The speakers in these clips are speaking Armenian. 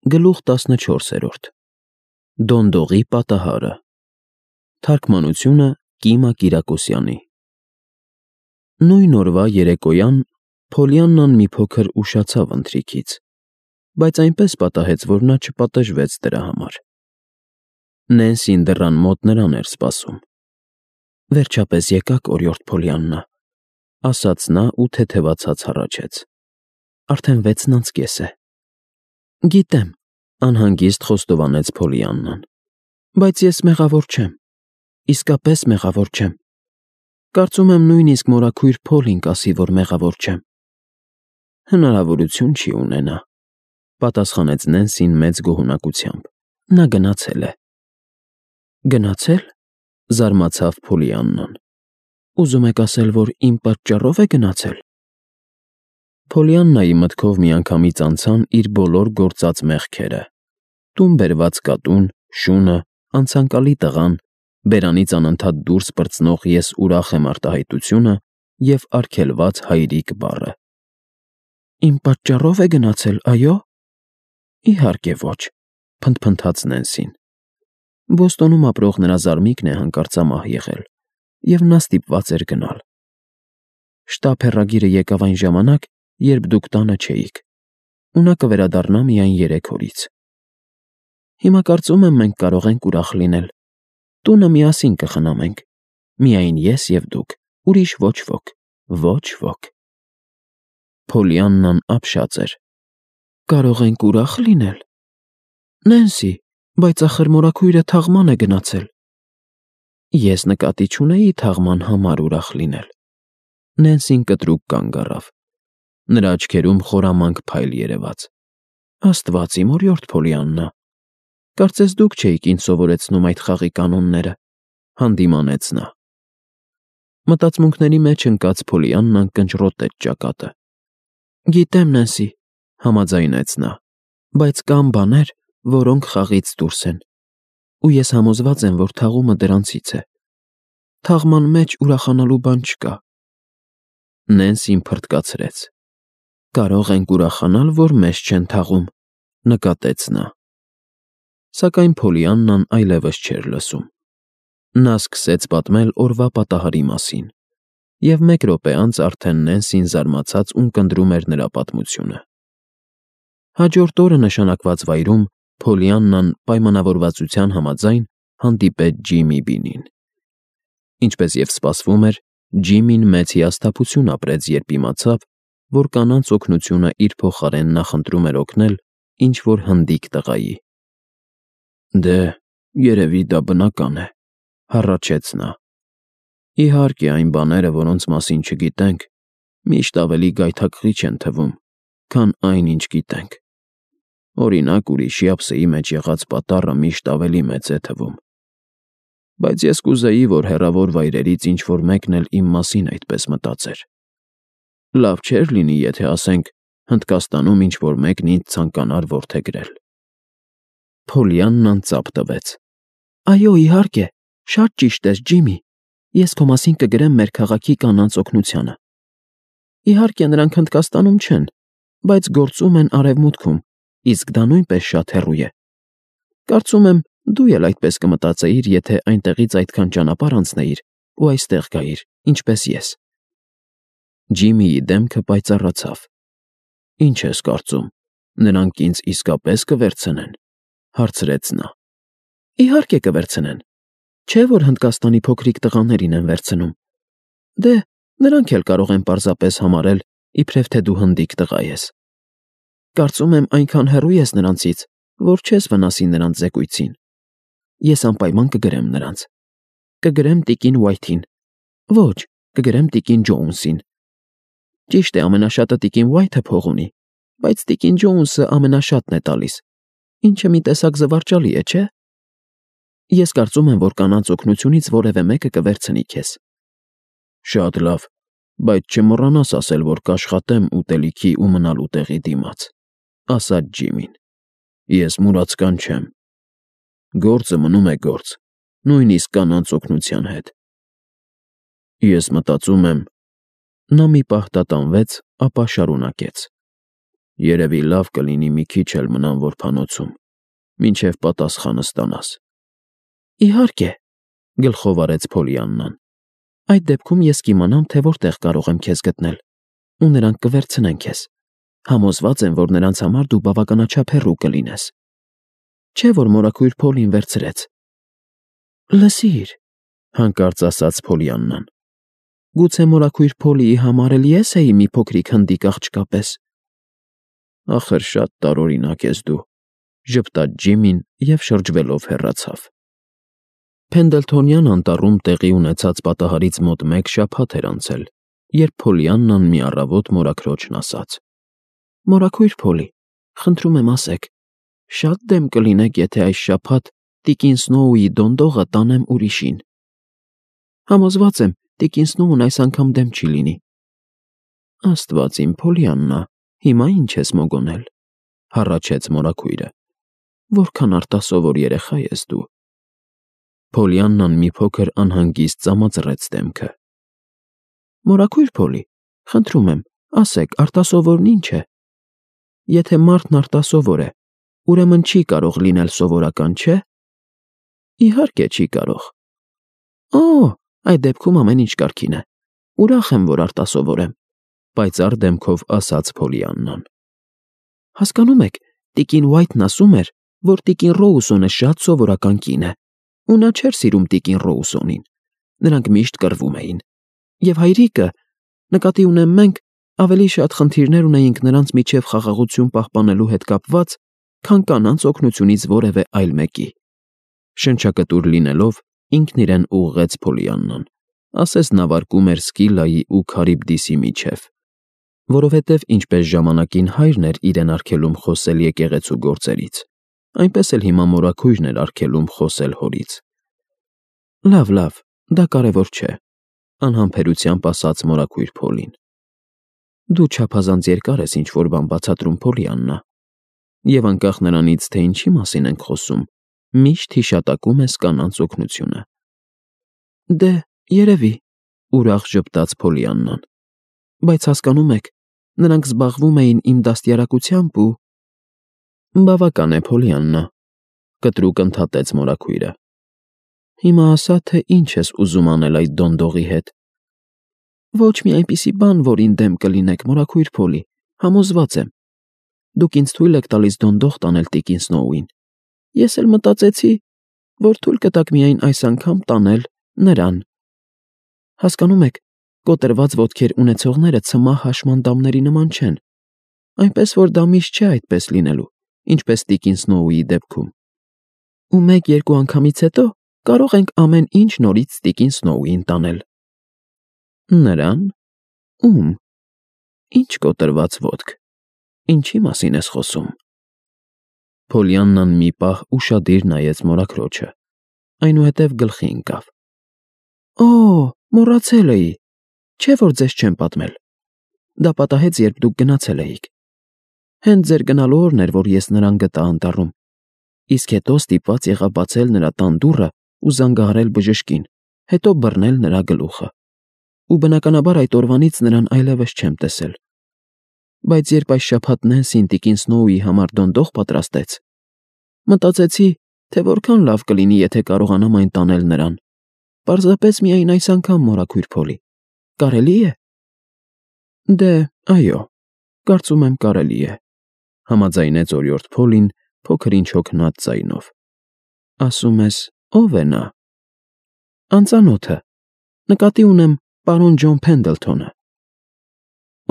Գլուխ 14 Դոնդողի պատահարը Թարգմանությունը Կիմա Կիրակոսյանի Նույն օրվա երեկոյան Փոլիաննան մի փոքր ուշացավ ընթրիքից, բայց այնպես պատահեց, որ նա չպատժվեց դրա համար։ Նենսին դռան մոտ նրան էր սպասում։ Վերջապես եկաք, օրիորդ Փոլիաննա, ասաց նա ու թեթևացած հառաչեց։ Արդեն 6:30 է։ Գիտեմ, անհանգիստ խոստովանեց Փոլիաննան, բայց ես մեղավոր չեմ, իսկապես մեղավոր չեմ։ Կարծում եմ նույնիսկ մորաքույր Փոլին կասի, որ մեղավոր չեմ։ Հնարավորություն չի ունենա, պատասխանեց Նենսին մեծ գոհունակությամբ։ Նա գնացել է։ Գնացել, զարմացավ Փոլիաննան։ Ուզում եք ասել, որ իմ պատճառով է գնացել։ Փոլիաննայի մտքով միանգամից անցան իր բոլոր գործած մեղքերը. տուն բերված կատուն, շունը, անցանկալի տղան, բերանից անընդհատ դուրս պրծնող «ես ուրախ եմ» արտահայտությունը և արգելված հայրիկ բառը։ Իմ պատճառով է գնացել, այո։ Իհարկե ոչ, փնթփնթաց Նենսին։ Բոստոնում ապրող նրա զարմիկն է հանկարծամահ եղել, և նա ստիպված էր գնալ։ Շտապ հեռագիրը եկավ այն ժամանակ, երբ դուք տանը չէիք, ու նա կվերադառնա միայն 3 օրից։ Հիմա կարծում եմ մենք կարող ենք ուրախ լինել։ Տունը միասին կխնամենք, միայն ես և դուք, ուրիշ ոչ ոք, ոչ ոք։ Փոլիաննան ապշած էր։ Կարող ենք ուրախ լինել։ Նենսի, բայց ախր մորաքույրը թաղման է գնացել։ Ես նկատի չունեի թաղման համար ուրախ լինել։ Նենսին կտրուկ կանգ առավ։ Նրա աչքերում խորամանկ փայլ երևաց։ Աստված իմ, օրիորդ Փոլիաննա, կարծես դուք չէիք ինձ սովորեցնում այդ խաղի կանոնները, հանդիմանեց նա։ Մտածմունքների մեջ ընկած Փոլիաննան կնճռոտեց ճակատը։ Գիտեմ, Նենսի, համաձայնեց նա, բայց կան բաներ, որոնք խաղից դուրս են, ու ես համոզված եմ, որ թաղումը դրանցից է։ Թաղման մեջ ուրախանալու բան չկա։ Նենսին փռթկացրեց։ Կարող ենք ուրախանալ, որ մեզ չեն թաղում, նկատեց նա։ Սակայն Փոլիաննան այլևս չէր լսում։ Նա սկսեց պատմել օրվա պատահարի մասին, և 1 րոպե անց արդեն Նենսին զարմացած ունկնդրում էր նրա պատմությունը։ Հաջորդ օրը նշանակված վայրում Փոլիաննան պայմանավորվածության համաձայն հանդիպեց Ջիմի Բինին։ Ինչպես և սպասվում էր, Ջիմին մեծ հիասթափություն ապրեց, երբ իմացավ, որ կանանց օգնությունը իր փոխարեն նախընտրում էր օգնել ինչ-որ հնդիկ տղայի։ Դե, երևի դա բնական է, հառաչեց նա։ Իհարկե, այն բաները, որոնց մասին չգիտենք, միշտ ավելի գայթակղիչ են թվում, քան այն, ինչ գիտենք։ Օրինակ, ուրիշի ափսեի մեջ եղած պատառը միշտ ավելի մեծ է թվում։ Բայց ես կուզեի, որ հեռավոր վայրերից ինչ-որ մեկն էլ իմ մասին այդպես մտածեր։ Լավ չէր լինի, եթե, ասենք, Հնդկաստանում ինչ-որ մեկն ինձ ցանկանար որդեգրել։ Փոլիաննան ծափ տվեց։ Այո, իհարկե, շատ ճիշտ ես, Ջիմի։ Ես քո մասին կգրեմ մեր քաղաքի կանանց օգնությանը։ Իհարկե, նրանք Հնդկաստանում չեն, բայց գործում են Արևմուտքում, իսկ դա նույնպես շատ հեռու է։ Կարծում եմ, դու էլ այդպես կմտածեիր, եթե այնտեղից այդքան ճանապարհ անցնեիր ու այստեղ գայիր, ինչպես ես։ Ջիմիի դեմքը պայծառացավ։ Ինչ ես կարծում, նրանք ինձ իսկապես կվերցնեն, հարցրեց նա։ Իհարկե կվերցնեն։ Չէ՞ որ Հնդկաստանի փոքրիկ տղաներին են վերցնում։ Դե, նրանք էլ կարող են պարզապես համարել, իբրև թե դու հնդիկ տղա ես։ Կարծում եմ, այնքան հեռու ես նրանցից, որ չես վնասի նրանց զեկույցին։ Ես անպայման կգրեմ նրանց։ Կգրեմ տիկին Ուայթին։ Ոչ, կգրեմ տիկին Ջոունսին։ Ճիշտ է, ամենաշատը տիկին Ուայթը փող ունի, բայց տիկին Ջոունսը ամենաշատն է տալիս, ինչը մի տեսակ զվարճալի է, չէ՞։ Ես կարծում եմ, որ կանանց օգնությունից որևէ մեկը կվերցնի քեզ։ Շատ լավ, բայց չմոռանաս ասել, որ կաշխատեմ ուտելիքի ու մնալու տեղի դիմաց, ասաց Ջիմին։ Ես մուրացկան չեմ։ Գործը մնում է գործ, նույնիսկ կանանց օգնության հետ։ Ես մտածում եմ, նա մի պահ տատանվեց, ապա շարունակեց։ Երևի լավ կլինի մի քիչ էլ մնամ որբանոցում, մինչև պատասխանը ստանաս։ Իհարկե, գլխով արեց Փոլիաննան։ Այդ դեպքում ես կիմանամ, թե որտեղ կարող եմ քեզ գտնել, ու նրանք կվերցնեն քեզ։ Համոզված եմ, որ նրանց համար դու բավականաչափ հեռու կլինես։ Չէ՞ որ մորաքույր Փոլին վերցրեց։ Լսիր, հանկարծ ասաց Փոլիաննան։ Գուցե մորաքույր Փոլիի համար էլ ես էի մի փոքրիկ հնդիկ աղջկա պես։ Ախր շատ տարօրինակ ես դու, ժպտաց Ջիմին և շրջվելով հեռացավ։ Փենդլթոնյան անտառում տեղի ունեցած պատահարից մոտ 1 շաբաթ էր անցել, երբ Փոլիաննան մի առավոտ մորաքրոջն ասաց. Մորաքույր Փոլի, խնդրում եմ ասեք, շատ դեմ կլինեք, եթե այս շաբաթ տիկին Սնոուի դոնդողը տանեմ ուրիշին։ Համոզված եմ, տիկին Սնոուն այս անգամ դեմ չի լինի։ Աստված իմ, Փոլիաննա, հիմա ինչ ես մոգոնել, հառաչեց մորաքույրը։ Որքան արտասովոր երեխա ես դու։ Փոլիաննան մի փոքր անհանգիստ ծամածրեց դեմքը։ Մորաքույր Փոլի, խնդրում եմ, ասեք, արտասովորն ինչ է։ Եթե մարդն արտասովոր է, ուրեմն չի կարող լինել սովորական, չէ։ Իհարկե չի կարող։ Օ, այդ դեպքում ամեն ինչ կարգին է։ Ուրախ եմ, որ արտասովոր եմ, պայծառ դեմքով ասաց Փոլիաննան։ Հասկանում եք, տիկին Ուայթն ասում էր, որ տիկին Ռոուսոնը շատ սովորական կին է, ու նա չէր սիրում տիկին Ռոուսոնին։ Նրանք միշտ կռվում էին։ Եվ հայրիկը, նկատի ունեմ մենք, ավելի շատ խնդիրներ ունեինք նրանց միջև խաղաղություն պահպանելու հետ կապված, քան կանանց օգնությունից որևէ այլ մեկի։ Շնչակտուր լինելով, ինքն իրեն ուղղեց Փոլիաննան, ասես նավարկում էր Սկիլայի ու Քարիբդիսի միջև, որովհետև ինչպես ժամանակին հայրն էր իրեն արգելում խոսել եկեղեցու գործերից, այնպես էլ հիմա մորաքույրն էր արգելում խոսել հորից։ Լավ, դա կարևոր չէ, անհամբերությամբ ասաց մորաքույր Փոլին։ Դու չափազանց երկար ես ինչ-որ բան բացատրում, Փոլիաննա, և անկախ նրանից, թե ինչի մասին ենք խոսում, միշտ հիշատակում ես կանանց օգնությունը։ Դե, երևի, ուրախ ժպտաց Փոլիաննան, բայց հասկանում եք, նրանք զբաղվում էին իմ դաստիարակությամբ ու… Բավական է, Փոլիաննա, կտրուկ ընդհատեց մորաքույրը։ Հիմա ասա, թե ինչ ես ուզում անել այդ դոնդողի հետ։ Ոչ մի այնպիսի բան, որին դեմ կլինեք, մորաքույր Փոլի, համոզված եմ։ Դուք ինձ թույլ եք տալիս դոնդող տանել տիկին Սնոուին։ Ես էլ մտածեցի, որ թույլ կտաք միայն այս անգամ տանել նրան։ Հասկանում եք, կոտրված ոտքեր ունեցողները ցմահ հաշմանդամների նման չեն, այնպես որ դա միշտ չէ այդպես լինելու, ինչպես տիկին Սնոուի դեպքում։ Ու 1-2 անգամից հետո կարող ենք ամեն ինչ նորից տիկին Սնոուին տանել։ Նրան… Ում… Ինչ կոտրված ոտք… Ինչի մասին ես խոսում։ Փոլիաննան մի պահ ուշադիր նայեց մորաքրոջը, այնուհետև գլխի ընկավ։ Օ, մոռացել էի, չէ՞ որ ձեզ չեմ պատմել։ Դա պատահեց, երբ դուք գնացել էիք։ Հենց ձեր գնալու օրն էր, որ ես նրան գտա անտառում, իսկ հետո ստիպված եղա բացել նրա տան դուռը ու զանգահարել բժշկին, հետո բռնել նրա գլուխը։ Ու բնականաբար այդ օրվանից նրան այլևս չեմ տեսել։ Բայց երբ այս շաբաթ Նենսին տիկին Սնոուի համար դոնդող պատրաստեց, մտածեցի, թե որքան լավ կլինի, եթե կարողանամ այն տանել նրան։ Պարզապես միայն այս անգամ, մորաքույր Փոլի, կարելի է։ Դե, այո, կարծում եմ կարելի է, համաձայնեց օրիորդ Փոլին փոքր ինչ հոգնած ձայնով։ Ասում ես, ո՞վ է նա։ Անծանոթը, նկատի ունեմ պարոն Ջոն Փենդլթոնը։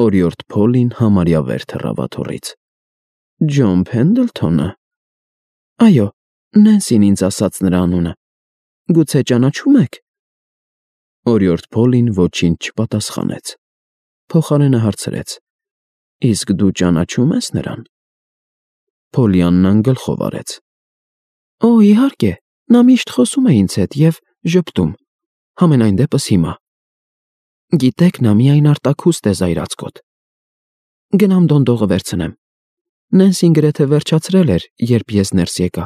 Օրիորդ Փոլին համարյա վեր թռավ աթոռից։ Ջոն Փենդլթոնը։ Այո, Նենսին ինձ ասաց նրա անունը։ Գուցե ճանաչում եք։ Օրիորդ Փոլին ոչինչ չպատասխանեց։ Փոխարենը հարցրեց. Իսկ դու ճանաչում ես նրան։ Փոլիաննան գլխով արեց։ Օ, իհարկե, նա միշտ խոսում է ինձ հետ և ժպտում, համենայն դեպս հիմա։ Գիտեք, նա միայն արտաքուստ է զայրացկոտ։ Գնամ դոնդողը վերցնեմ։ Նենսին գրեթե վերջացրել էր, երբ ես ներս եկա։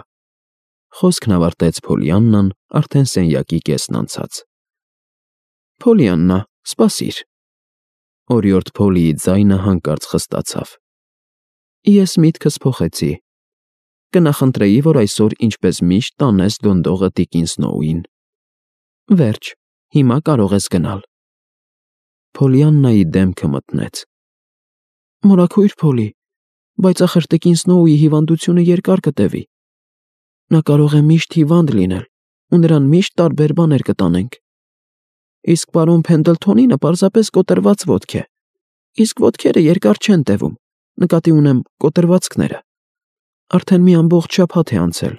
Խոսքն ավարտեց Փոլիաննան արդեն սենյակի կեսն անցած։ Փոլիաննա, սպասիր։ Օրիորդ Փոլիի ձայնը հանկարծ խստացավ։ Ես միտքս փոխեցի։ Կնախընտրեի, որ այսօր ինչպես միշտ տանես դոնդողը տիկին Սնոուին։ Վերջ, հիմա կարող ես գնալ։ Փոլիաննայի դեմքը մթնեց։ Մորաքույր Փոլի, բայց ախր տիկին Սնոուի հիվանդությունը երկար կտևի։ Նա կարող է միշտ հիվանդ լինել, ու նրան միշտ տարբեր բաներ կտանենք։ Իսկ պարոն Փենդլթոնինը պարզապես կոտրված ոտք է, իսկ ոտքերը երկար չեն տևում, նկատի ունեմ կոտրվածքները։ Արդեն մի ամբողջ շաբաթ է անցել։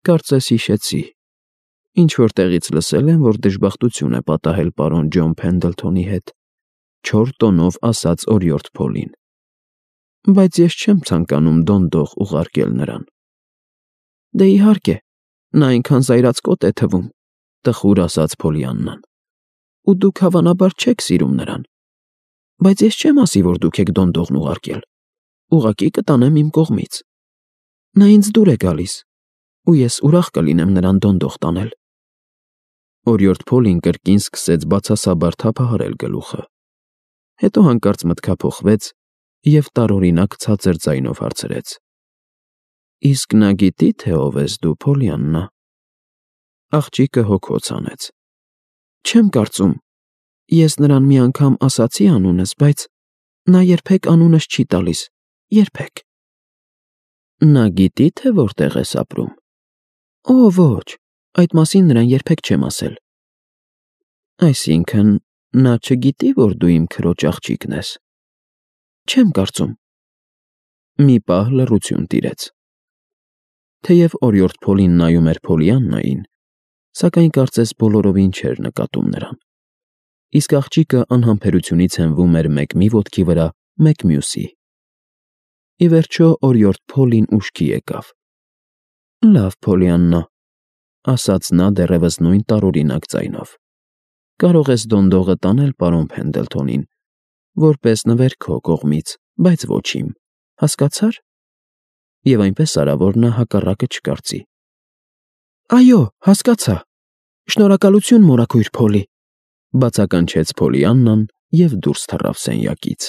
Կարծես հիշեցի։ Ինչ-որ տեղից լսել եմ, որ դժբախտություն է պատահել պարոն Ջոն Փենդլթոնի հետ, 4 տոնով ասաց օրիորդ Փոլին։ Բայց ես չեմ ցանկանում դոնդող ուղարկել նրան։ Դե իհարկե, նա այնքան զայրացկոտ է թվում, տխուր ասաց Փոլիաննան։ Ու դուք հավանաբար չեք սիրում նրան։ Բայց ես չեմ ասի, որ դուք եք դոնդողն ուղարկել։ Ուղղակի կտանեմ իմ կողմից։ Նա ինձ դուր է գալիս, ու ես ուրախ կլինեմ նրան դոնդող տանել։ Օրիորդ Փոլին կրկին սկսեց բացասաբար թափահարել գլուխը։ Հետո հանկարծ մտքափոխվեց և տարօրինակ ցածր ձայնով հարցրեց. Իսկ նա գիտի, թե ով ես դու, Փոլիաննա։ Աղջիկը հոգոց հանեց։ Չեմ կարծում։ Ես նրան մի անգամ ասացի անունս, բայց նա երբեք անունս չի տալիս, երբեք։ Նա գիտի, թե որտեղ ես ապրում։ Օ, ոչ, այդ մասին նրան երբեք չեմ ասել։ Այսինքն, նա չգիտի, որ դու իմ քրոջ աղջիկն ես։ Չեմ կարծում։ Մի պահ լռություն տիրեց։ Թեև օրիորդ Փոլին նայում էր Փոլիաննային, սակայն կարծես բոլորովին չէր նկատում նրան։ Իսկ աղջիկը անհամբերությունից հենվում էր մեկ մի ոտքի վրա, մեկ մյուսի։ Ի վերջո օրիորդ Փոլին ուշքի եկավ։ Լավ, Փոլիաննա, ասաց նա դեռևս նույն տարօրինակ ձայնով։ Կարող ես դոնդողը տանել պարոն Փենդլթոնին, որպես նվեր քո կողմից, բայց ոչ իմ, հասկացա՞ր։ Եվ այնպես արա, որ նա հակառակը չկարծի։ Այո, հասկացա։ Շնորհակալություն, մորաքույր Փոլի, բացականչեց Փոլիաննան և դուրս թռավ սենյակից։